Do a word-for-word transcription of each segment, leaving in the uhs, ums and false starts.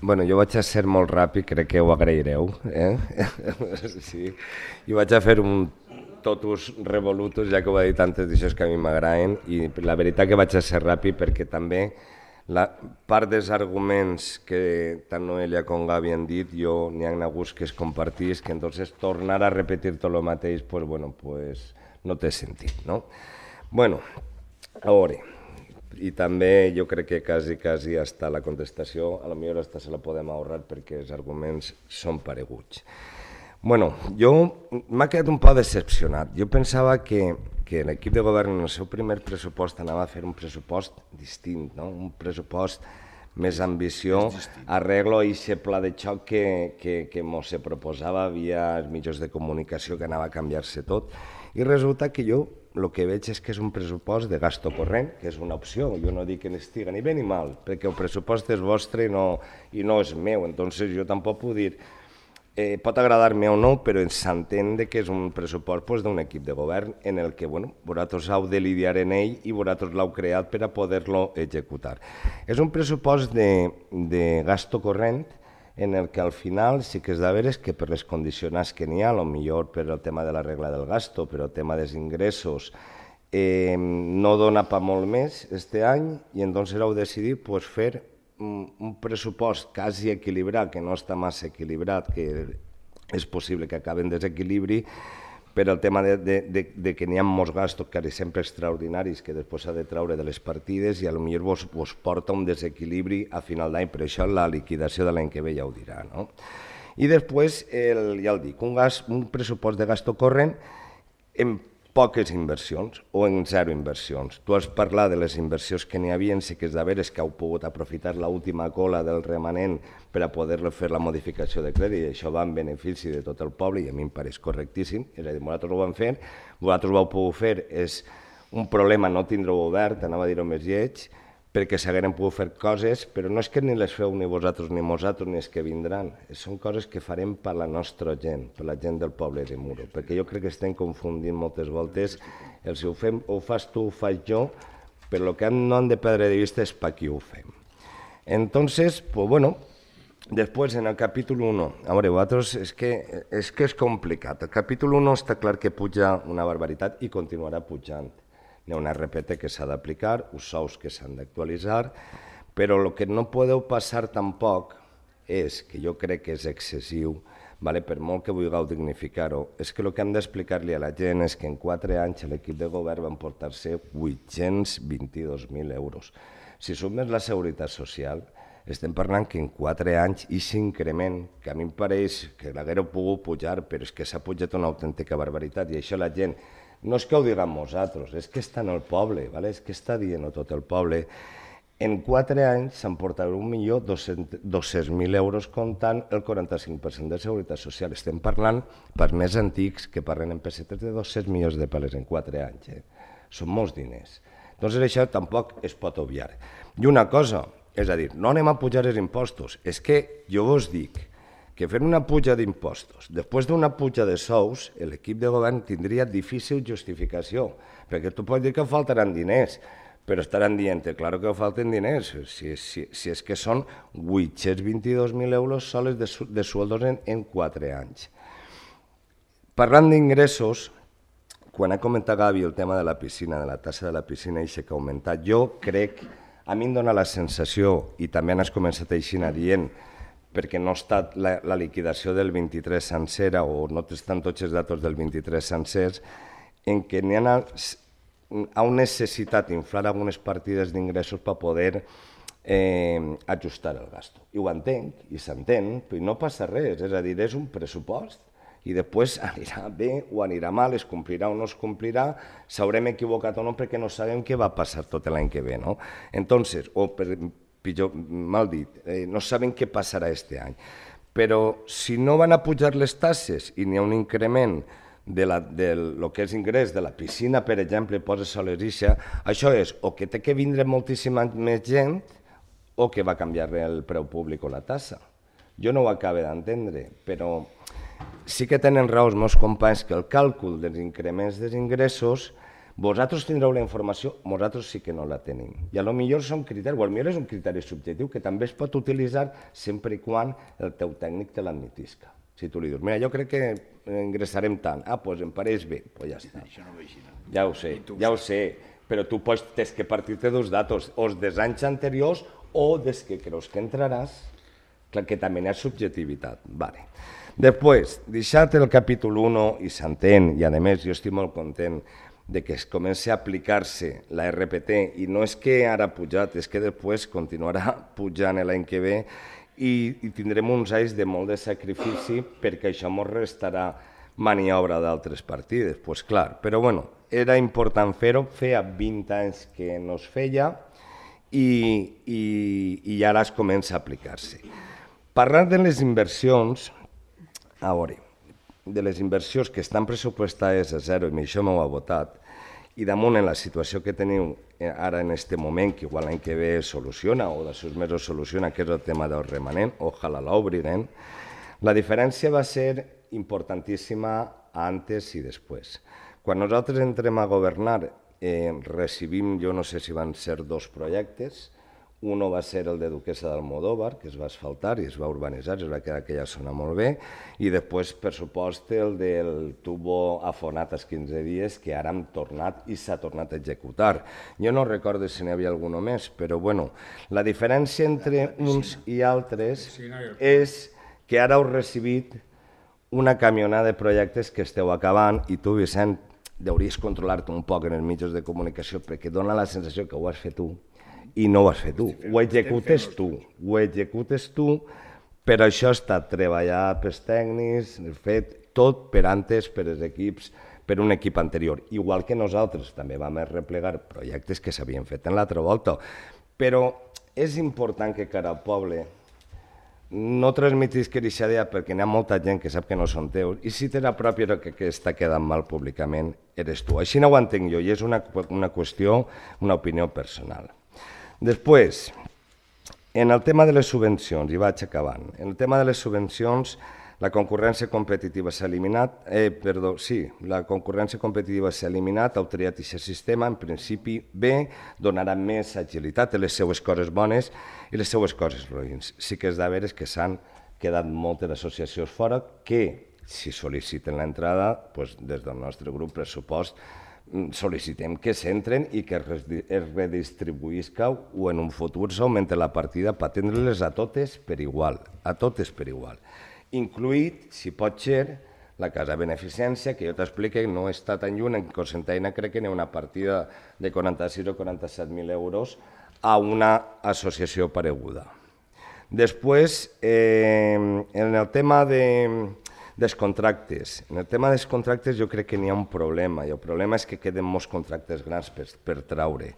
Bueno, jo vaig a ser molt ràpid, crec que ho agraireu. Eh? Sí. Jo vaig a fer un totus revolutus, ja que ho he dit antes d'això que a mi m'agraden, i la veritat que vaig a ser ràpid perquè també la part dels arguments que tant Noelia com Gavi han dit, jo n'hi ha hagut que es compartís, que entonces tornar a repetir tot el mateix, pues bueno, pues no té sentit, no? Bueno, a veure, i també jo crec que quasi, quasi hasta la contestació, a lo millor hasta se la podem ahorrar perquè els arguments són pareguts. Bueno, jo m'ha quedat un poc decepcionat. Jo pensava que, que l'equip de govern en el seu primer pressupost anava a fer un pressupost distint, no? Un pressupost més ambició, arreglo a aquest pla de xoc que, que, que mos se proposava via els mitjans de comunicació, que anava a canviar-se tot, i resulta que jo el que veig és que és un pressupost de gasto corrent, que és una opció. Jo no dic que n'estiga ni bé ni mal, perquè el pressupost és vostre i no, i no és meu, entonces jo tampoc puc dir eh, pot agradar-me o no, però s'entén que és un pressupost pues, d'un equip de govern en el que bueno, vosaltres heu de lidiar en ell i vosaltres l'heu creat per a poder-lo executar. És un pressupost de, de gasto corrent en el que al final sí que és de veres que per les condicionants que n'hi ha, millor per el tema de la regla del gasto, per el tema dels ingressos, eh, no dona per molt més este any i entonces heu decidit pues, fer un, un pressupost quasi equilibrat, que no està massa equilibrat, que és possible que acabi en desequilibri, per el tema de, de, de, de que n'hi ha molts gastos quasi sempre extraordinaris que després s'ha de treure de les partides i potser vos, vos porta un desequilibri a final d'any, per això la liquidació de l'any que ve ja ho dirà. No? I després, el, ja el dic, un, gas, un pressupost de gasto corrent en poques inversions o en zero inversions. Tu has parlat de les inversions que n'hi havia, sí que és de veres que heu pogut aprofitar l'última cola del remanent per a poder fer la modificació de crèdit, i això va en benefici de tot el poble i a mi em pareix correctíssim, és a dir, vosaltres ho vam fer, vosaltres ho heu pogut fer, és un problema no tindre-ho obert, anava a dir-ho més lleig, perquè s'hagueren pogut fer coses, però no és que ni les feu ni vosaltres ni nosaltres ni els que vindran, són coses que farem per la nostra gent, per la gent del poble de Muro, perquè jo crec que estem confundint moltes voltes el si ho, fem, ho fas tu, ho faig jo, però el que no han de perdre de vista és per qui ho fem. Entonces, pues bueno, después en el capítol u, a veure, vosaltres és que, és que és complicat. El capítol u està clar que puja una barbaritat i continuarà pujant. Hi ha un R P T que s'ha d'aplicar, uns sous que s'han d'actualitzar, però el que no podeu passar tampoc és, que jo crec que és excessiu, vale? Per molt que vulgueu dignificar-ho, és que el que hem d'explicar-li a la gent és que en quatre anys l'equip de govern van portar-se vuit-cents vint-i-dos mil euros. Si sumes la seguretat social, estem parlant que en quatre anys aquest increment, que a mi em pareix que l'haguéreu pogut pujar, però és que s'ha pujat una autèntica barbaritat, i això la gent no és que ho diguem nosaltres, és que està en el poble, ¿vale? És que està dient tot el poble. En quatre anys s'han portat un milió dos-cents mil euros comptant el quaranta-cinc per cent de seguretat social. Estem parlant, per més antics, que parlen en pessetes de dos-cents milions de peles en quatre anys. Eh? Són molts diners. Doncs això tampoc es pot obviar. I una cosa, és a dir, no anem a pujar els impostos, és que jo vos dic que fent una puja d'impostos, després d'una puja de sous, l'equip de govern tindria difícil justificació, perquè tu pots dir que faltaran diners, però estaran dient, clar que falten diners, si, si, si és que són vuit-cents vint-i-dos mil euros sols de, de sueldos en, en quatre anys. Parlant d'ingressos, quan ha comentat Gavi el tema de la piscina, de la tassa de la piscina, i que ha augmentat, jo crec, a mi em dóna la sensació, i també has començat així dient, perquè no ha estat la, la liquidació del vint-i-tres sencera o no estan tots els datos del vint-i-tres sencers, en què n'hi ha, ha necessitat inflar algunes partides d'ingressos per poder eh, ajustar el gasto. I ho entenc, i s'entén, però no passa res, és a dir, és un pressupost i després anirà bé o anirà mal, es complirà o no es complirà, s'haurem equivocat o no perquè no sabem què va passar tot l'any que ve, no? Entonces, o per pitjor, mal dit, eh, no saben què passarà aquest any. Però si no van a pujar les tasses i n'hi ha un increment de, la, de lo que és ingrés de la piscina, per exemple, posa solerixa, això és o que té que vindre moltíssima més gent o que va canviar el preu públic o la tassa. Jo no ho acabo d'entendre, però sí que tenen raó els meus companys que el càlcul dels increments dels ingressos Vosaltres tindreu la informació, nosaltres sí que no la tenim. I a lo millor són criteris, o potser és un criteri subjectiu que també es pot utilitzar sempre i quan el teu tècnic te l'admetisca. Si tu li dius, mira, jo crec que ingressarem tant, ah, doncs em pareix bé, doncs ja està. Això no va així, no? Ja ho sé, ja ho sé, però tu pots, tens que partir-te dos datos, o dels anys anteriors o des que creus que entraràs, clar que també hi ha subjectivitat. Vale. Després, deixat el capítol u i s'entén, i a més jo estic molt content de que es comenci a aplicar-se la R P T, i no és que ara ha pujat, és que després continuarà pujant l'any que ve i, i tindrem uns anys de molt de sacrifici perquè això ens restarà maniobra d'altres partides, doncs pues clar, però bueno, era important fer-ho, feia vint anys que no es feia i, i, i ara es comença a aplicar-se. Parlant de les inversions, a veure, de les inversions que estan pressupostades a zero, i això m'ho ha votat, i damunt en la situació que teniu ara en aquest moment, que igual l'any que ve soluciona o de sis mesos soluciona, que és el tema del remanent, ojalà l'obrirem, la diferència va ser importantíssima antes i després. Quan nosaltres entrem a governar, eh, recibim, jo no sé si van ser dos projectes, uno va ser el de Duquesa d'Almodóvar, que es va asfaltar i es va urbanitzar, es va quedar aquella zona molt bé, i després, per supost, el del tubo afonat als quinze dies, que ara hem tornat i s'ha tornat a executar. Jo no recordo si n'hi havia alguna més, però bueno, la diferència entre uns i altres és que ara heu recibit una camionada de projectes que esteu acabant i tu, Vicent, hauries controlar-te un poc en els mitjans de comunicació perquè dona la sensació que ho has fet tu i no ho has fet tu, ho executes tu, ho executes tu, però això ha estat treballat pels tècnics, fet tot per antes, per els equips, per un equip anterior. Igual que nosaltres també vam replegar projectes que s'havien fet en l'altra volta, però és important que cada poble no transmetis que aquesta idea perquè hi ha molta gent que sap que no són teus i si té la pròpia que, que està quedant mal públicament eres tu. Així no ho entenc jo i és una, una qüestió, una opinió personal. Després, en el tema de les subvencions, i vaig acabant, en el tema de les subvencions la concurrència competitiva s'ha eliminat, eh, perdó, sí, la concurrència competitiva s'ha eliminat, heu triat aquest sistema, en principi bé, donarà més agilitat a les seues coses bones i les seues coses roïns. Sí que és de veres que s'han quedat moltes associacions fora que, si sol·liciten l'entrada, doncs, des del nostre grup pressupost, sol·licitem que s'entren i que es redistribuïsca o en un futur s'augmenta la partida per atendre-les a totes per igual, a totes per igual. Incluït, si pot ser, la casa beneficència, que jo t'explique, no està tan lluny, en Cocentaina crec que n'hi ha una partida de quaranta-sis o quaranta-set mil euros a una associació pareguda. Després, eh, en el tema de... dels contractes. En el tema dels contractes jo crec que n'hi ha un problema, i el problema és que queden molts contractes grans per, per traure.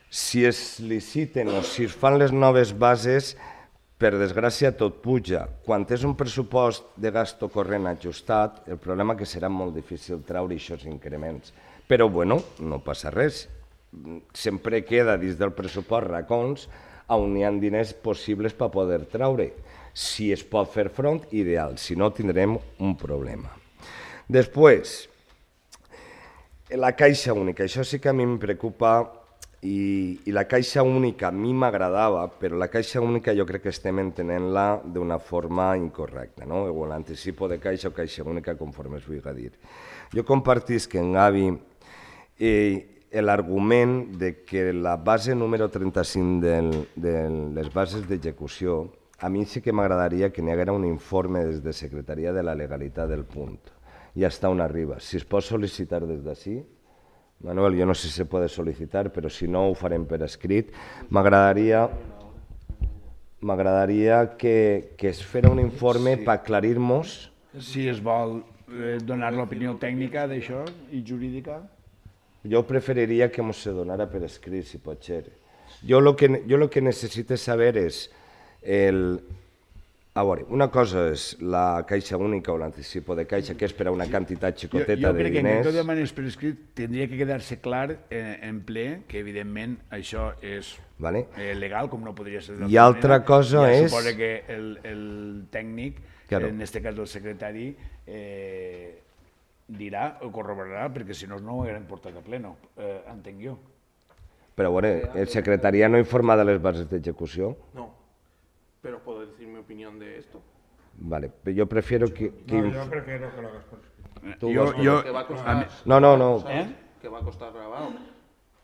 Si es liciten o si es fan les noves bases, per desgràcia tot puja. Quan és un pressupost de gasto corrent ajustat, el problema és que serà molt difícil traure aquests increments. Però, bueno, no passa res. Sempre queda dins del pressupost racons on hi ha diners possibles per poder traure. Si es pot fer front, ideal, si no tindrem un problema. Després, la caixa única, això sí que a mi em preocupa i, i la caixa única a mi m'agradava, però la caixa única jo crec que estem entenent-la d'una forma incorrecta, no? O l'anticipo de caixa o caixa única, conforme es vulgui dir. Jo compartisc en Gavi eh, l'argument de que la base número trenta-cinc de, de les bases d'execució a mi sí que m'agradaria que n'hi haguera un informe des de Secretaria de la Legalitat del punt i hasta on arriba. Si es pot sol·licitar des d'ací, Manuel, jo no sé si se pot sol·licitar, però si no ho farem per escrit, m'agradaria m'agradaria que, que es fera un informe per aclarir-nos... Si es vol donar l'opinió tècnica d'això i jurídica? Jo preferiria que ens se donara per escrit, si pot ser. Jo el que, jo lo que necessito saber és el... A veure, una cosa és la caixa única o l'anticipo de caixa, que és per a una quantitat xicoteta de diners. Jo crec que en tot demanes per escrit tindria que quedar-se clar en ple que evidentment això és legal, com no podria ser d'altra manera. I altra cosa és... Ja suposa que el tècnic, en aquest cas el secretari, dirà o corroborarà, perquè si no, no ho haguem portat a pleno, eh, entenc jo. Però, bueno, ¿el secretaría no informa de las bases de ejecución? No, pero puedo decir mi opinión de esto. Vale, pero yo prefiero que... que no, yo prefiero que lo hagas por escrito. Yo, yo, que va a costar, no, no, no. ¿Eh? Que va a costar grabado.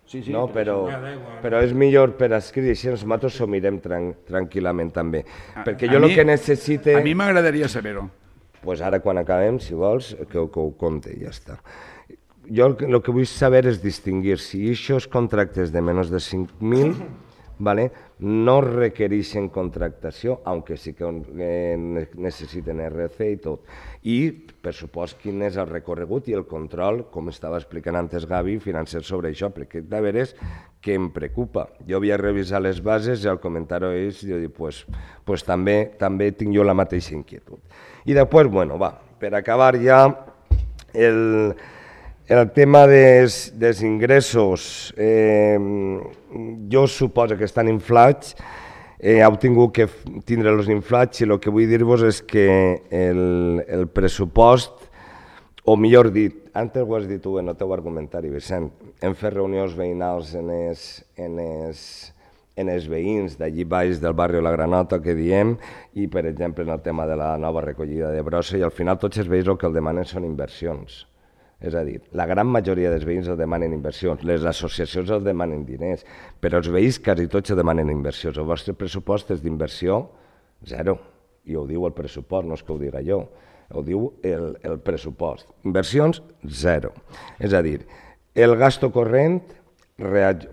Sí, sí, no, però, però, però és millor per escrit i així nosaltres ho mirem tran tranquil·lament també. A, Perquè jo el que necessite... A mi m'agradaria saber-ho. Pues ara quan acabem, si vols, que, que ho compte i ja està. Jo el que, el que vull saber és distingir si aquests contractes de menys de cinc mil ¿vale? no requereixen contractació, aunque sí que eh, necessiten R C i tot. I, per supost, quin és el recorregut i el control, com estava explicant antes Gavi, financer sobre això, perquè de veres que em preocupa. Jo havia revisat les bases i al comentar-ho ells, jo dic, pues, pues també, també tinc jo la mateixa inquietud. I després, bueno, va, per acabar ja, el... El tema dels, dels ingressos, eh, jo suposo que estan inflats, eh, heu tingut que tindre els inflats i el que vull dir-vos és que el, el pressupost, o millor dit, antes ho has dit tu en el teu argumentari, Vicent, hem fet reunions veïnals en els, en els, en els veïns d'allí baix del barri de la Granota que diem, i per exemple en el tema de la nova recollida de brossa, i al final tots els veïns el que el demanen són inversions. És a dir, la gran majoria dels veïns el demanen inversions, les associacions el demanen diners, però els veïns quasi tots el demanen inversions. El vostre pressupost és d'inversió zero, i ho diu el pressupost, no és que ho diga jo, ho diu el, el pressupost. Inversions, zero. És a dir, el gasto corrent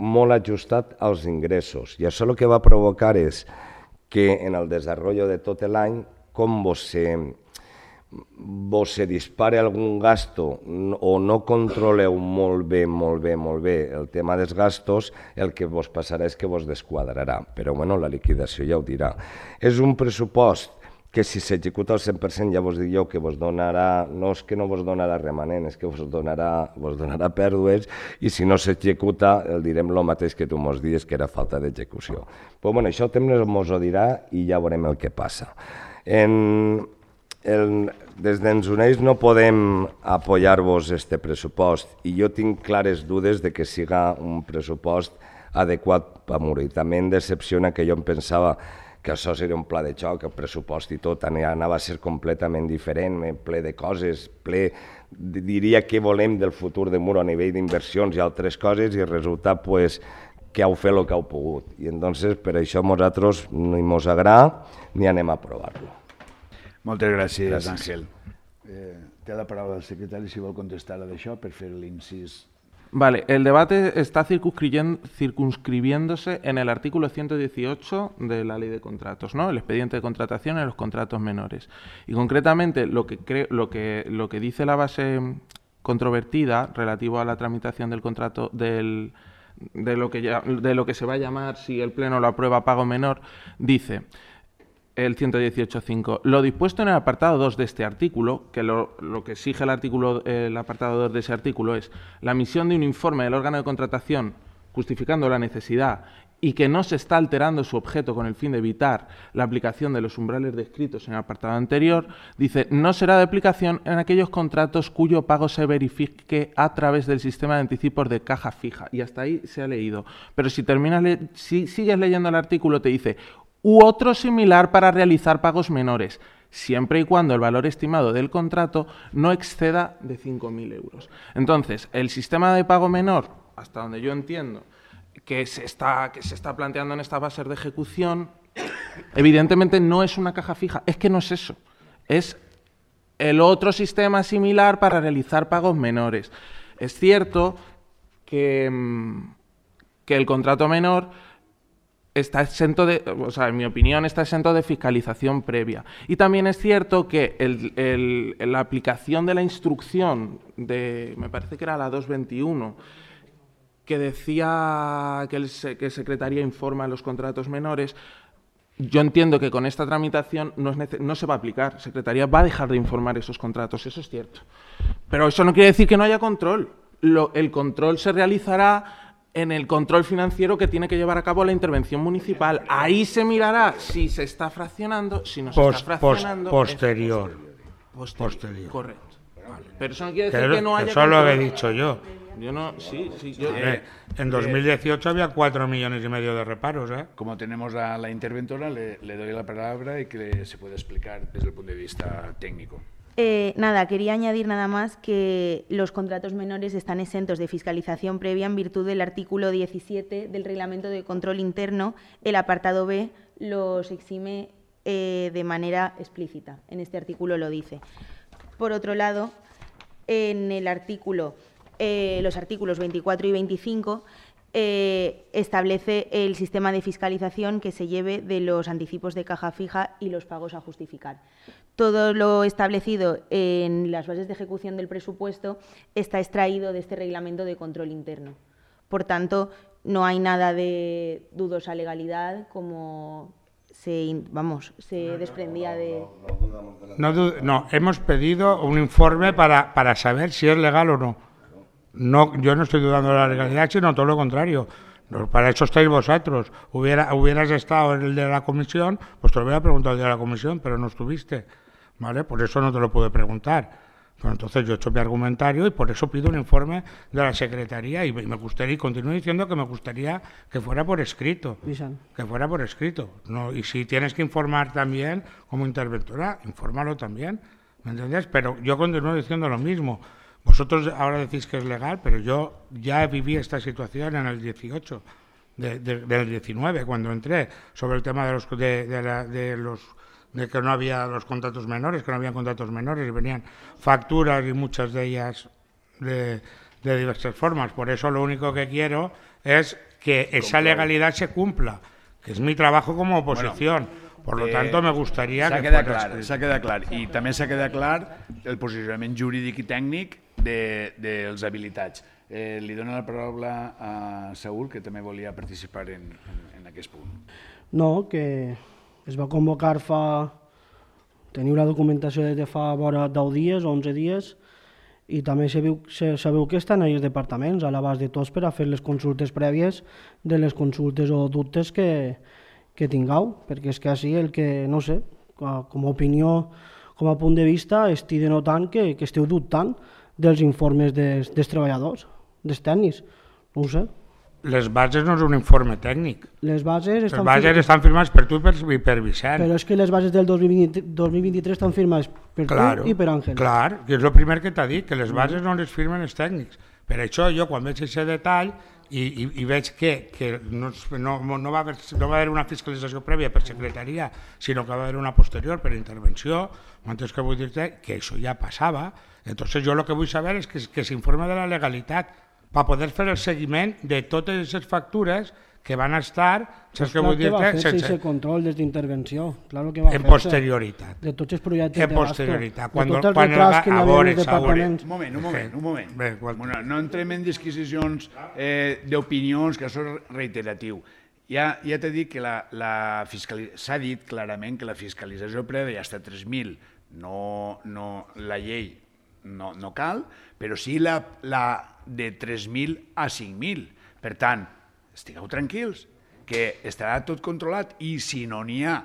molt ajustat als ingressos, i això el que va provocar és que en el desenvolupament de tot l'any, com vos se... vos se dispare algun gasto o no controleu molt bé, molt bé, molt bé el tema dels gastos, el que vos passarà és que vos desquadrarà, però bueno, la liquidació ja ho dirà. És un pressupost que si s'executa al cent per cent ja vos dic jo que vos donarà, no és que no vos donarà remanent, és que vos donarà, vos donarà pèrdues, i si no s'executa el direm el mateix que tu mos dies, que era falta d'execució. Però bueno, això el temps mos ho dirà i ja veurem el que passa. En... El, des d'Ensoneix no podem apoyar-vos este pressupost i jo tinc clares dudes de que siga un pressupost adequat per Muro. I també em decepciona que jo em pensava que això seria un pla de xoc, el pressupost i tot anava a ser completament diferent, ple de coses, ple, diria què volem del futur de Muro a nivell d'inversions i altres coses, i resulta pues, que heu fet el que heu pogut. I entonces per això nosaltres ni mos agrada ni anem a aprovar-lo. Moltes gràcies, gràcies. Àngel. Eh, té la paraula el secretari si vol contestar a d'això per fer l'incís. Vale, el debate está circunscribiéndose en el artículo ciento dieciocho de la Ley de Contratos, ¿no? El expediente de contratación en los contratos menores. Y concretamente lo que, creo, lo que, lo que dice la base controvertida relativo a la tramitación del contrato del, de, lo que ya, de lo que se va a llamar, si el Pleno lo aprueba, pago menor, dice... El ciento dieciocho punto cinco. Lo dispuesto en el apartado dos de este artículo, que lo, lo que exige el, artículo, el apartado dos de ese artículo es la emisión de un informe del órgano de contratación justificando la necesidad y que no se está alterando su objeto con el fin de evitar la aplicación de los umbrales descritos en el apartado anterior, dice, no será de aplicación en aquellos contratos cuyo pago se verifique a través del sistema de anticipos de caja fija. Y hasta ahí se ha leído. Pero si, terminas le si sigues leyendo el artículo, te dice... u otro similar para realizar pagos menores, siempre y cuando el valor estimado del contrato no exceda de cinco mil euros. Entonces, el sistema de pago menor, hasta donde yo entiendo, que se está, que se está planteando en estas bases de ejecución, evidentemente no es una caja fija, es que no es eso, es el otro sistema similar para realizar pagos menores. Es cierto que, que el contrato menor... está exento de, o sea, en mi opinión, está exento de fiscalización previa. Y también es cierto que el, el, la aplicación de la instrucción de, me parece que era la dos veintiuno, que decía que el, que Secretaría informa a los contratos menores, yo entiendo que con esta tramitación no, es no se va a aplicar. Secretaría va a dejar de informar esos contratos, eso es cierto. Pero eso no quiere decir que no haya control. Lo, el control se realizará en el control financiero que tiene que llevar a cabo la intervención municipal. Ahí se mirará si se está fraccionando, si no se post, está fraccionando... Post, posterior. Posterior. Posterior. Correcto. Pero eso no quiere decir que no haya... Eso lo he dicho yo. Yo no, sí, sí, yo... Eh, en dos mil dieciocho había cuatro millones y medio de reparos, ¿eh? Como tenemos a la interventora, le, le doy la palabra y que se puede explicar desde el punto de vista técnico. Eh, nada, quería añadir nada más que los contratos menores están exentos de fiscalización previa en virtud del artículo diecisiete del Reglamento de Control Interno. El apartado B los exime eh, de manera explícita. En este artículo lo dice. Por otro lado, en el artículo, eh, los artículos veinticuatro y veinticinco eh, establece el sistema de fiscalización que se lleve de los anticipos de caja fija y los pagos a justificar. Todo lo establecido en las bases de ejecución del presupuesto está extraído de este reglamento de control interno. Por tanto, no hay nada de dudosa legalidad como se, vamos, se desprendía de... No, no, hemos pedido un informe para, para saber si es legal o no. No, yo no estoy dudando de la legalidad, sino todo lo contrario. Para eso estáis vosotros. Hubiera, hubieras estado en el de la comisión, pues te lo hubiera preguntado el de la comisión, pero no estuviste, ¿vale? Por eso no te lo pude preguntar. Pero entonces yo he hecho mi argumentario y por eso pido un informe de la Secretaría y me gustaría, y continúo diciendo que me gustaría que fuera por escrito. Que fuera por escrito. No, y si tienes que informar también como interventora, infórmalo también, ¿me entiendes? Pero yo continúo diciendo lo mismo. Vosotros ahora decís que es legal, pero yo ya viví esta situación en el dieciocho, de, de, del diecinueve, cuando entré, sobre el tema de los, de, de, la, de los de que no había los contratos menores, que no había contratos menores y venían facturas y muchas de ellas de, de diversas formas. Por eso lo único que quiero es que esa legalidad se cumpla, que es mi trabajo como oposición. Bueno, por lo eh, tanto, me gustaría que fuera clar, s'ha quedat clar. I també s'ha quedat clar el posicionament jurídic i tècnic de, dels habilitats. Eh, li dono la paraula a Saúl, que també volia participar en, en, en aquest punt. No, que es va convocar fa... Teniu la documentació des de fa vora deu dies o onze dies i també sabeu, sabeu que estan els departaments a l'abast de tots per a fer les consultes prèvies de les consultes o dubtes que, que tingueu, perquè és que així el que, no sé, com a opinió, com a punt de vista, estic denotant que, que esteu dubtant dels informes dels, dels treballadors, dels tècnics, no ho sé. Les bases no és un informe tècnic. Les bases estan, les bases firmades... estan firmades per tu i per, i per Vicent. Però és que les bases del dos mil vint-i-tres estan firmades per claro, tu i per Àngel. Clar, que és el primer que t'ha dit, que les bases no les firmen els tècnics. Per això jo, quan veig aquest detall i, i, i veig que, que no, no, no, va haver, no va haver una fiscalització prèvia per secretaria, sinó que va haver una posterior per intervenció, m'entens que vull dir-te que això ja passava. Entonces jo el que vull saber és que, que s'informe de la legalitat per poder fer el seguiment de totes aquestes factures que van estar, saps què vull dir-te? Va fer sense control des d'intervenció, claro que va en posterioritat. De tots els projectes en posterioritat. Quan, de tots els retrats que hi havia en els departaments. Un moment, un moment, un moment. Bé, bueno, no entrem en disquisicions eh, d'opinions, que això és reiteratiu. Ja, ja t'he dit que la, la fiscali... s'ha dit clarament que la fiscalització prèvia hasta tres mil, no, no, la llei no, no cal, però sí la, la de tres mil a cinc mil. Per tant, estigueu tranquils, que estarà tot controlat i si no n'hi ha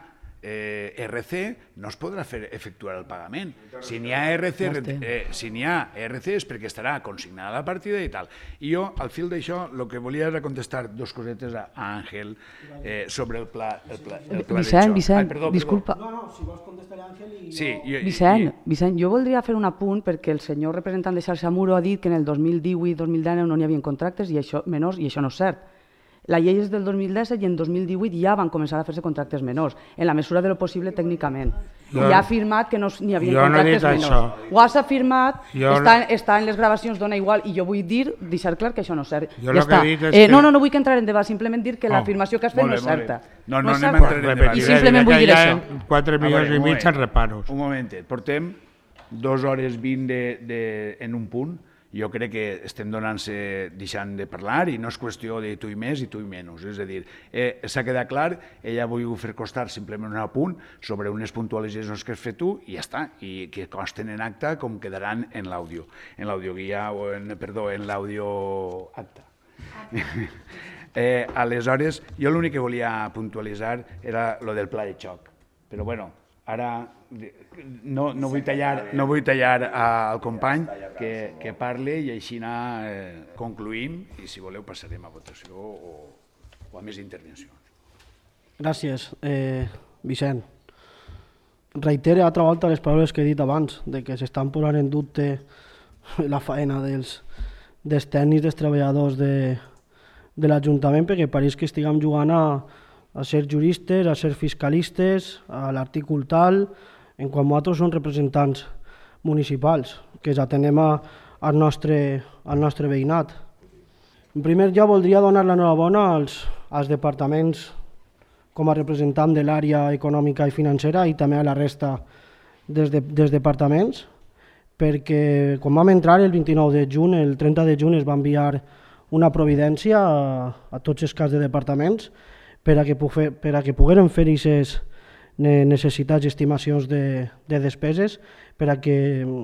eh, R C no es podrà fer efectuar el pagament. Si n'hi ha R C, eh, si n'hi ha R C és perquè estarà consignada la partida i tal. I jo, al fil d'això, el que volia era contestar dos cosetes a Àngel eh, sobre el pla, el pla, el pla Vicent, de xoc. Vicent, Ai, perdó, disculpa. No, no, si vols contestar a Àngel i... Sí, i, Vicent, i... Vicent, jo voldria fer un apunt perquè el senyor representant de Xarxa Muro ha dit que en el dos mil divuit dos mil dinou no n'hi havia contractes i això menors i això no és cert. La llei és del dos mil disset i en dos mil divuit ja van començar a fer-se contractes menors, en la mesura de lo possible tècnicament. Jo, I ha afirmat que no n'hi havia contractes no menors. Això. Ho has afirmat, jo està, està en les gravacions, dona igual, i jo vull dir, deixar clar que això no és cert. Jo ja està. Que és eh, que... No, no, no vull que entrar en debat, simplement dir que oh. l'afirmació que has fet Molt no és certa. No, no, no anem a entrar en debat. I simplement vull dir això. quatre milions i mig en reparos. Un momentet, portem dues hores vint de, de, en un punt. Jo crec que estem donant-se, deixant de parlar i no és qüestió de tu i més i tu i menys. És a dir, eh, s'ha quedat clar, ella ha volgut fer costar simplement un apunt sobre unes puntualitzacions que has fet tu i ja està, i que consten en acta com quedaran en l'àudio, en l'audioguia o en, perdó, en l'àudio acta. eh, aleshores, jo l'únic que volia puntualitzar era lo del pla de xoc. Però bueno, Ara no, no, vull tallar, no vull tallar al company que, que parli i així anar, eh, concluïm i si voleu passarem a votació o, o a més intervencions. Gràcies, eh, Vicent. Reitere altra volta les paraules que he dit abans, de que s'estan posant en dubte la faena dels, dels tècnics, dels treballadors de, de l'Ajuntament, perquè pareix que estiguem jugant a, a ser juristes, a ser fiscalistes, a l'artícul tal, en quan nosaltres som representants municipals, que ens atenem a, al, nostre, al nostre veïnat. En primer lloc, voldria donar l'enhorabona als, als departaments com a representant de l'àrea econòmica i financera i també a la resta dels, de, dels departaments, perquè quan vam entrar el vint-i-nou de juny, el trenta de juny es va enviar una providència a, a tots els caps de departaments per a que, per a que pogueren fer aquestes necessitats i estimacions de, de despeses, per a que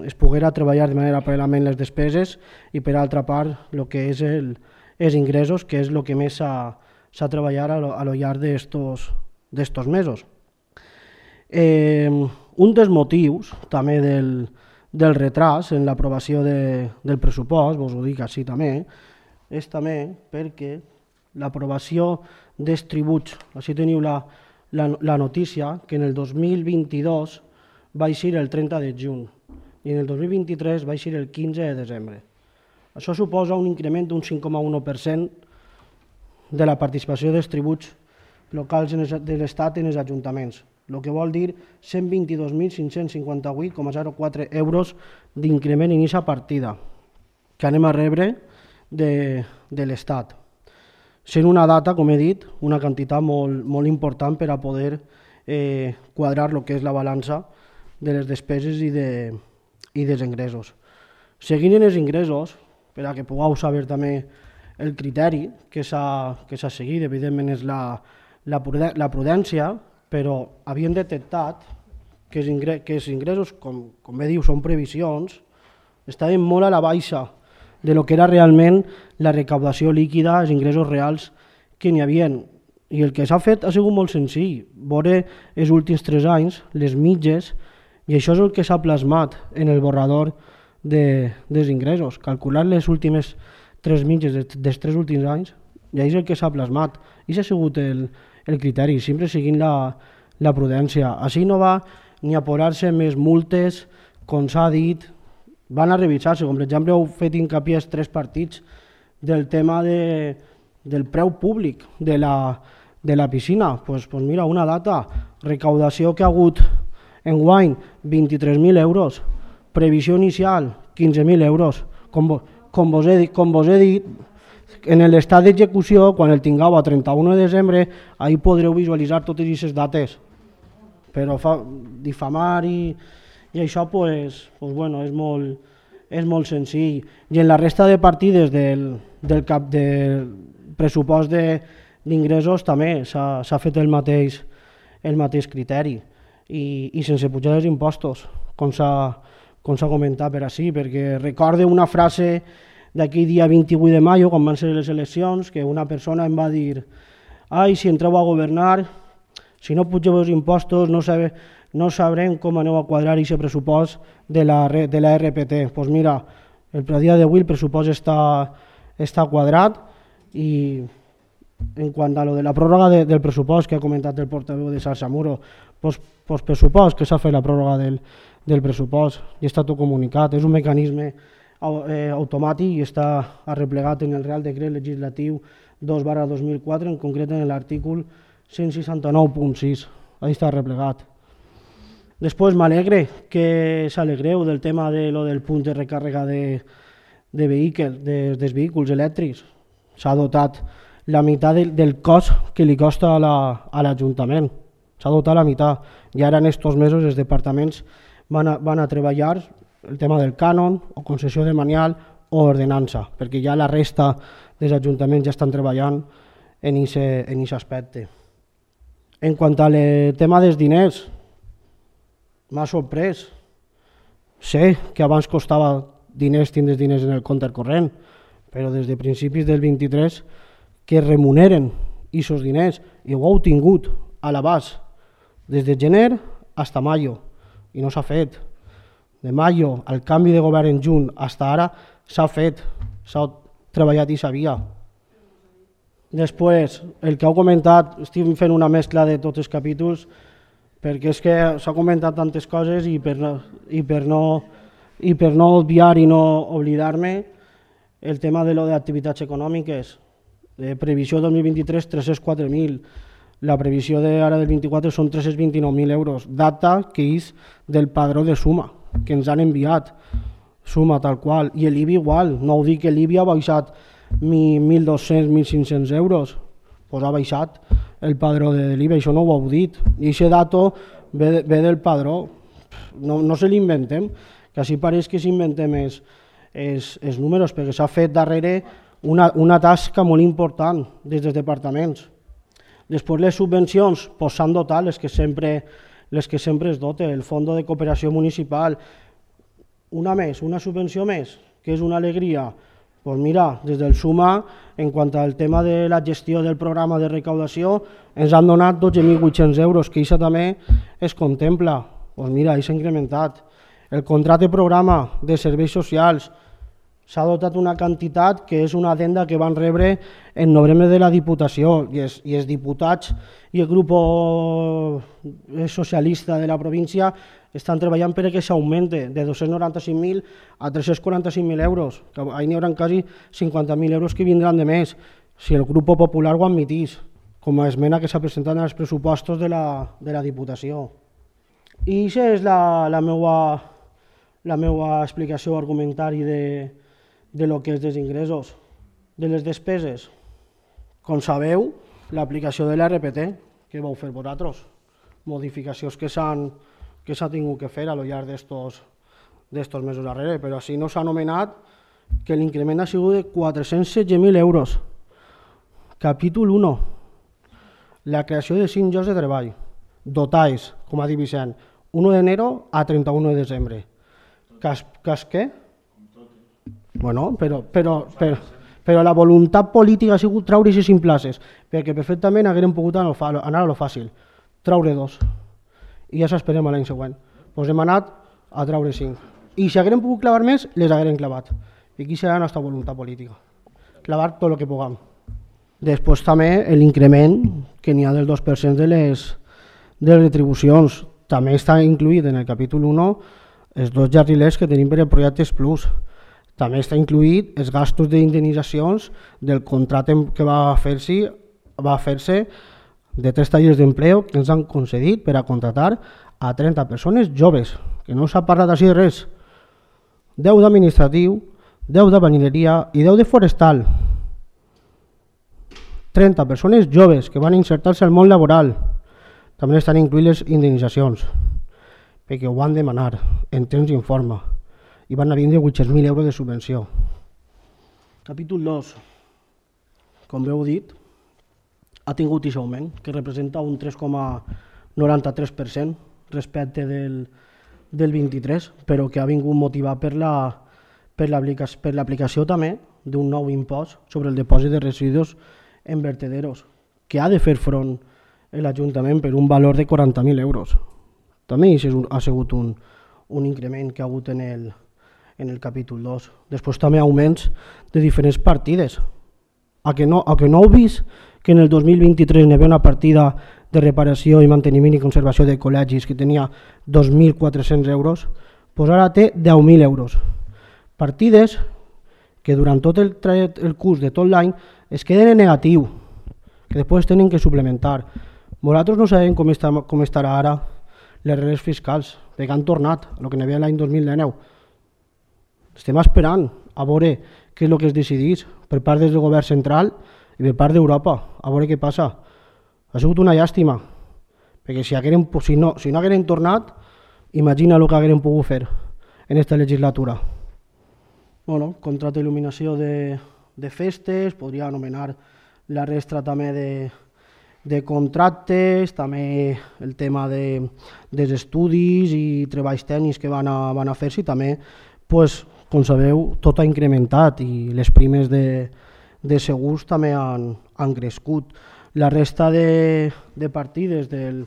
es poguera treballar de manera paral·lelament les despeses i per altra part el que és el, els ingressos, que és el que més s'ha s'ha treballat a lo, a lo llarg d'estos mesos. Eh, un dels motius també del, del retras en l'aprovació de, del pressupost, vos ho dic així també, és també perquè l'aprovació dels tributs, així teniu la, la, la notícia, que en el dos mil vint-i-dos va eixir el trenta de juny i en el dos mil vint-i-tres va eixir el quinze de desembre. Això suposa un increment d'un cinc coma u per cent de la participació dels tributs locals de l'Estat en els ajuntaments, el que vol dir cent vint-i-dos mil cinc-cents cinquanta-vuit coma zero quatre euros d'increment en aquesta partida que anem a rebre de, de l'Estat. Sent una data, com he dit, una quantitat molt, molt important per a poder eh, quadrar el que és la balança de les despeses i, de, i dels ingressos. Seguint en els ingressos, per a que pugueu saber també el criteri que s'ha seguit, evidentment, és la, la, la prudència, però havien detectat que els, ingressos, que els ingressos, com, com bé diu, són previsions, estaven molt a la baixa de lo que era realment la recaudació líquida, els ingressos reals que n'hi havia. I el que s'ha fet ha sigut molt senzill, veure els últims tres anys, les mitges, i això és el que s'ha plasmat en el borrador de, dels ingressos, calcular les últimes tres mitges dels tres últims anys, i és el que s'ha plasmat. I s'ha sigut el, el criteri, sempre seguint la, la prudència. Així no va ni a posar-se més multes, com s'ha dit, van a revisar-se, com per exemple heu fet hincapié els tres partits del tema de, del preu públic de la, de la piscina. Pues, pues mira, una data, recaudació que ha hagut enguany vint-i-tres mil euros, previsió inicial quinze mil euros, com Com vos, he, com vos he dit, en l'estat d'execució, quan el tingueu a trenta-u de desembre, ahí podreu visualitzar totes aquestes dates. Però fa, difamar i, i això pues, pues bueno, és, molt, és molt senzill. I en la resta de partides del, del, cap, del pressupost d'ingressos també s'ha fet el mateix, el mateix criteri i, i sense pujar els impostos, com s'ha com s'ha comentat per així, perquè recorde una frase d'aquell dia vint-i-vuit de maio, quan van ser les eleccions, que una persona em va dir «Ai, si entreu a governar, si no pugeu els impostos, no, sabe, no sabrem com aneu a quadrar aquest pressupost de la, de la R P T». Doncs pues mira, el dia d'avui el pressupost està, està quadrat i en quant a lo de la pròrroga de, del pressupost que ha comentat el portaveu de Salsamuro, doncs pues, pues pressupost que s'ha fet la pròrroga del del pressupost i està tot comunicat. És un mecanisme eh, automàtic i està arreplegat en el Real Decret Legislatiu dos barra dos mil quatre, en concret en l'artícul cent seixanta-nou punt sis. Ahí està arreplegat. Després m'alegre que s'alegreu del tema de lo del punt de recàrrega de, de vehicles, de, dels vehicles elèctrics. S'ha dotat la meitat del, del cost que li costa a l'Ajuntament. La, S'ha dotat la meitat. I ara en aquests mesos els departaments Van a, van a treballar el tema del cànon o concessió de manial o ordenança, perquè ja la resta dels ajuntaments ja estan treballant en aquest aspecte. En quant al tema dels diners, m'ha sorprès. Sé que abans costava diners tindre diners en el compte corrent, però des de principis del vint-i-tres que remuneren aquests diners i ho heu tingut a l'abast des de gener hasta mayo, i no s'ha fet. De mayo, al canvi de govern en juny, hasta ara, s'ha fet, s'ha treballat i sabia. Després, el que heu comentat, estic fent una mescla de tots els capítols, perquè és que s'ha comentat tantes coses i per no, i per no, i per no obviar i no oblidar-me, el tema de lo d'activitats econòmiques, de previsió dos mil vint-i-tres, tres-cents quatre mil, la previsió d'ara del vint-i-quatre són tres-cents vint-i-nou mil euros, data que és del padró de Suma, que ens han enviat, Suma tal qual, i l'I B I igual, no ho dic que l'I B I ha baixat mil dos-cents, mil cinc-cents euros, doncs ha baixat el padró de l'I B I, això no ho heu dit, i aquest dato ve, ve del padró, no, no se l'inventem, que així pareix que s'inventem els, els, els números, perquè s'ha fet darrere una, una tasca molt important des dels departaments. Després les subvencions pues, s'han dotat, les que, sempre, les que sempre es doten, el Fons de Cooperació Municipal, una més, una subvenció més, que és una alegria. Pues mira, des del Suma, en quant al tema de la gestió del programa de recaudació, ens han donat dotze mil vuit-cents euros, que això també es contempla. Pues mira, s'ha incrementat. El contracte programa de serveis socials s'ha dotat una quantitat que és una adenda que van rebre en novembre de la Diputació i els, i els diputats i el grup socialista de la província estan treballant perquè s'augmente de dos-cents noranta-cinc mil a tres-cents quaranta-cinc mil euros, que ahir n'hi haurà quasi cinquanta mil euros que vindran de més si el grup popular ho admitís, com a esmena que s'ha presentat als pressupostos de la, de la Diputació. I aquesta és la, la, meua, la meua explicació o argumentari de, de lo que és dels ingressos. De les despeses, com sabeu, l'aplicació de l'R P T, que vau fer vosaltres, modificacions que s'han que s'ha tingut que fer a lo llarg d'estos mesos darrere, però així no s'ha anomenat que l'increment ha sigut de quatre-cents setze mil euros. Capítol u, la creació de cinc llocs de treball, dotats, com ha dit Vicent, u d'enero a trenta-u de desembre. Cas, cas què? Bueno, però, però, però, però la voluntat política ha sigut traure aquestes cinc places, perquè perfectament haguem pogut anar a lo fàcil, traure dos. I ja s'esperem a l'any següent. Doncs hem anat a traure cinc. I si haguem pogut clavar més, les haguem clavat. I aquí serà la nostra voluntat política. Clavar tot el que puguem. Després també l'increment que n'hi ha del dos per cent de les, de les retribucions. També està incluït en el capítol u els dos jardiners que tenim per el projectes Plus. També està incluït els gastos d'indemnitzacions del contracte que va fer-se va fer-se de tres tallers d'empleo que ens han concedit per a contratar a trenta persones joves, que no s'ha parlat així de res. deu d'administratiu, deu de banineria i deu de forestal. trenta persones joves que van insertar-se al món laboral. També estan incluïdes les indemnitzacions, perquè ho van demanar en temps d'informe i van a vindre vuit-cents mil euros de subvenció. Capítol dos. Com bé heu dit, ha tingut aquest augment, que representa un tres coma noranta-tres per cent respecte del, del vint-i-tres, però que ha vingut motivat per la, per l'aplicació també d'un nou impost sobre el depòsit de residus en vertederos, que ha de fer front l'Ajuntament per un valor de quaranta mil euros. També ha sigut un, un increment que ha hagut en el, en el capítol dos. Després també augments de diferents partides. A que no, a que no heu vist que en el dos mil vint-i-tres hi havia una partida de reparació i manteniment i conservació de col·legis que tenia dos mil quatre-cents euros, doncs ara té deu mil euros. Partides que durant tot el, el curs de tot l'any es queden en negatiu, que després tenen que suplementar. Nosaltres no sabem com, està, com estarà ara les regles fiscals, perquè han tornat a el que n'hi havia l'any dos mil dinou. Estem esperant a veure què és el que es decidís per part del govern central i per part d'Europa, a veure què passa. Ha sigut una llàstima, perquè si, hagueren, si, no, si no hagueren tornat, imagina el que hagueren pogut fer en aquesta legislatura. Bueno, contracte d'il·luminació de, de festes, podria anomenar la resta també de, de contractes, també el tema de, dels estudis i treballs tècnics que van a, van a fer-se i també, pues, com sabeu, tot ha incrementat i les primes de, de segurs també han, han crescut. La resta de, de partides del,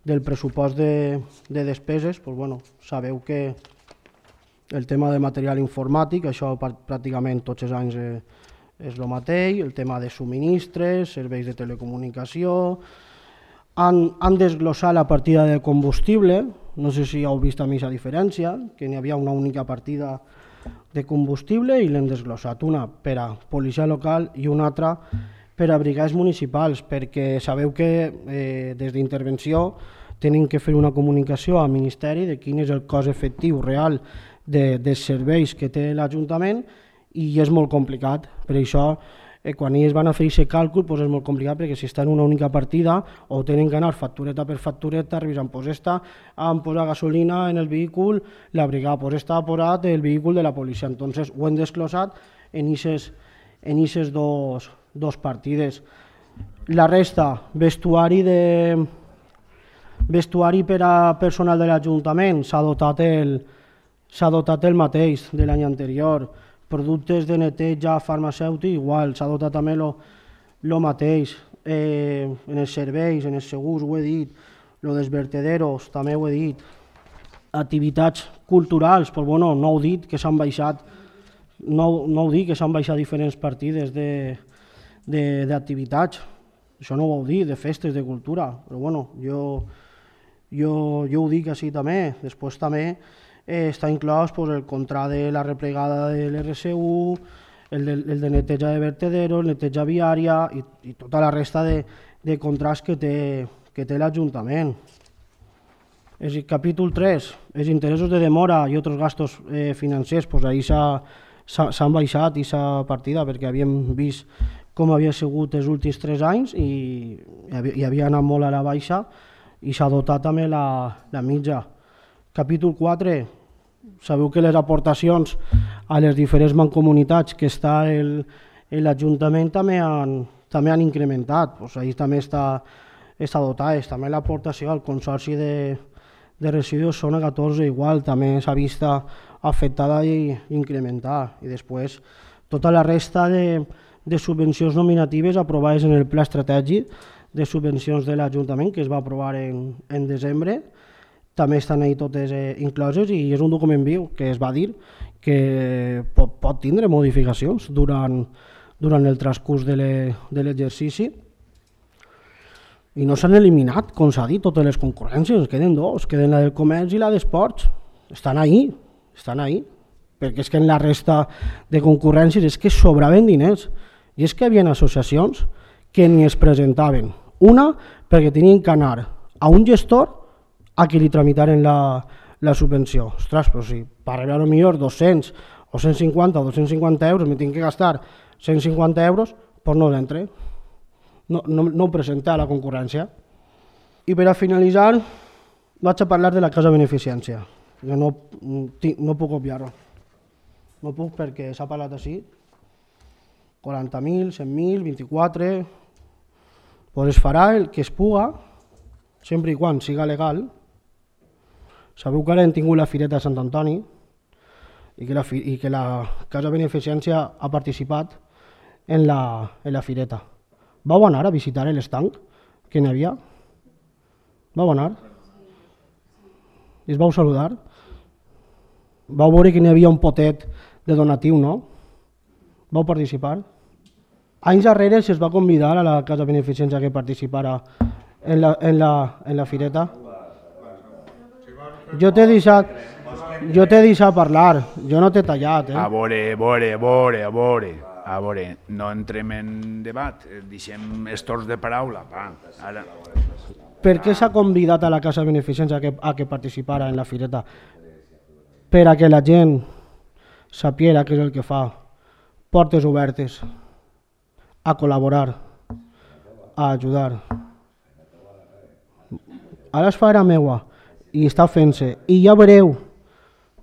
del pressupost de, de despeses, doncs, bueno, sabeu que el tema de material informàtic, això pràcticament tots els anys eh, és el mateix, el tema de subministres, serveis de telecomunicació, han, han desglossat la partida de combustible, no sé si heu vist a mi aquesta diferència, que n'hi havia una única partida de combustible i l'hem desglossat, una per a policia local i una altra per a brigades municipals, perquè sabeu que eh, des d'intervenció tenen que fer una comunicació al Ministeri de quin és el cost efectiu real de, dels serveis que té l'Ajuntament i és molt complicat. Per això, eh, quan ells van a fer aquest càlcul, doncs és molt complicat perquè si està en una única partida o tenen que anar factureta per factureta, revisant, doncs esta han posat gasolina en el vehicle, la brigada, doncs esta ha posat el vehicle de la policia. Entonces ho hem desglosat en aquestes en aquestes dos, dos partides. La resta, vestuari de vestuari per a personal de l'Ajuntament, s'ha dotat el s'ha dotat el mateix de l'any anterior. Productes de neteja farmacèutic, igual, s'ha dotat també el mateix. Eh, en els serveis, en els segurs, ho he dit, lo dels vertederos, també ho he dit. Activitats culturals, doncs, bueno, no heu dit que s'han baixat, no, no heu dit que s'han baixat diferents partides d'activitats. Això no ho heu dit, de festes, de cultura, però bueno, jo, jo, jo ho dic així també. Després també eh, està inclòs pues, el contrat de la replegada de l'R C U, el de, el de neteja de vertederos, neteja viària i, i tota la resta de, de contrats que té, que té l'Ajuntament. El capítol tres, els interessos de demora i altres gastos eh, financers, pues, ahir s'han baixat aquesta partida perquè havíem vist com havia sigut els últims tres anys i, i havia anat molt a la baixa i s'ha dotat també la, la mitja. Capítol quatre, sabeu que les aportacions a les diferents mancomunitats que està l'Ajuntament també, han, també han incrementat, pues ahí també està, està dotat, també l'aportació al Consorci de, de Residus Zona catorze igual, també s'ha vist afectada i incrementada. I després tota la resta de de subvencions nominatives aprovades en el Pla Estratègic de Subvencions de l'Ajuntament, que es va aprovar en, en desembre. També estan ahí totes eh, incloses i és un document viu que es va dir que pot, pot tindre modificacions durant, durant el transcurs de l'exercici. I no s'han eliminat, com s'ha dit, totes les concurrències, queden dos, queden la del comerç i la d'esports. Estan ahí, estan ahí, perquè és que en la resta de concurrències és que sobraven diners. I és que hi havia associacions que ni es presentaven. Una, perquè tenien que anar a un gestor a qui li tramitaren la, la subvenció. Ostres, però si per rebre potser dos-cents o cent cinquanta o dos-cents cinquanta euros me tinc que gastar cent cinquanta euros, doncs no l'entre. No, no, no ho presenta a la concurrència. I per a finalitzar, vaig a parlar de la casa beneficència. Jo no, no puc obviar-ho. No puc perquè s'ha parlat així. quaranta mil, cent mil, vint-i-quatre... Pues es farà el que es puga, sempre i quan siga legal. Sabeu que ara hem tingut la Fireta de Sant Antoni i que la, i que la Casa Beneficència ha participat en la, en la Fireta. Vau anar a visitar l'estanc que n'hi havia? Vau anar? I es vau saludar? Vau veure que n'hi havia un potet de donatiu, no? Vau participar? Anys darrere se'ls va convidar a la Casa Beneficència que participara en la, en la, en la Fireta. Jo t'he deixat, jo t'he deixat parlar, jo no t'he tallat. Eh? A veure, a veure, a veure, a veure, a veure, no entrem en debat, deixem estors de paraula. Va, ara. Per què s'ha convidat a la Casa Beneficència a que, a que participara en la Fireta? Per a que la gent sapiera què és el que fa. Portes obertes, a col·laborar, a ajudar. Ara es farà meua i està fent-se i ja veureu,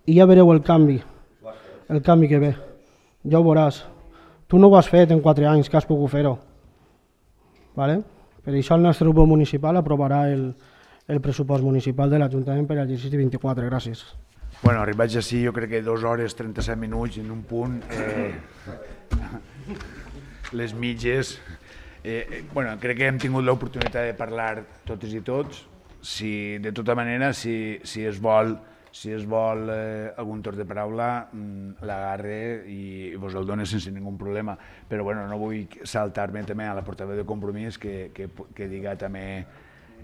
i ja veureu el canvi, el canvi que ve. Ja ho veuràs. Tu no ho has fet en quatre anys que has pogut fer-ho. Vale? Per això el nostre grup municipal aprovarà el, el pressupost municipal de l'Ajuntament per al exercici vint-i-quatre. Gràcies. Bueno, arribats així, jo crec que dues hores, trenta-set minuts en un punt. Eh, les mitges. Eh, bueno, crec que hem tingut l'oportunitat de parlar totes i tots. si, de tota manera, si, si es vol, si es vol eh, algun torn de paraula, l'agarre i vos el done sense ningú problema. Però bueno, no vull saltar-me també a la portaveu de Compromís que, que, que diga també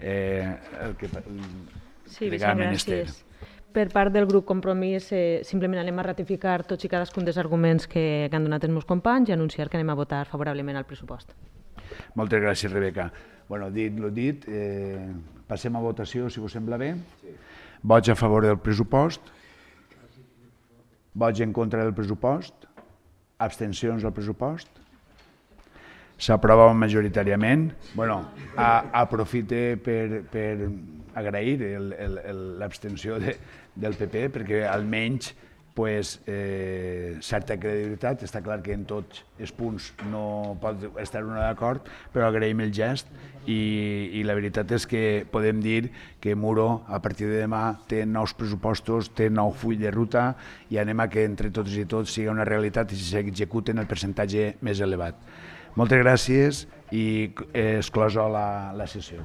eh, el que sí, diga el ministeri. Per part del grup Compromís, eh, simplement anem a ratificar tots i cadascun dels arguments que, que han donat els meus companys i anunciar que anem a votar favorablement al pressupost. Moltes gràcies, Rebeca. Bueno, dit lo dit, eh, passem a votació, si us sembla bé. Sí. Vots a favor del pressupost? Vots en contra del pressupost? Abstencions al pressupost? S'aprova majoritàriament. Bueno, a, aprofite per, per agrair l'abstenció de, del P P, perquè almenys pues, eh, certa credibilitat. Està clar que en tots els punts no pot estar una d'acord, però agraïm el gest i, i la veritat és que podem dir que Muro a partir de demà té nous pressupostos, té nou full de ruta i anem a que entre tots i tots sigui una realitat i s'executen el percentatge més elevat. Moltes gràcies i exclosa la, la sessió.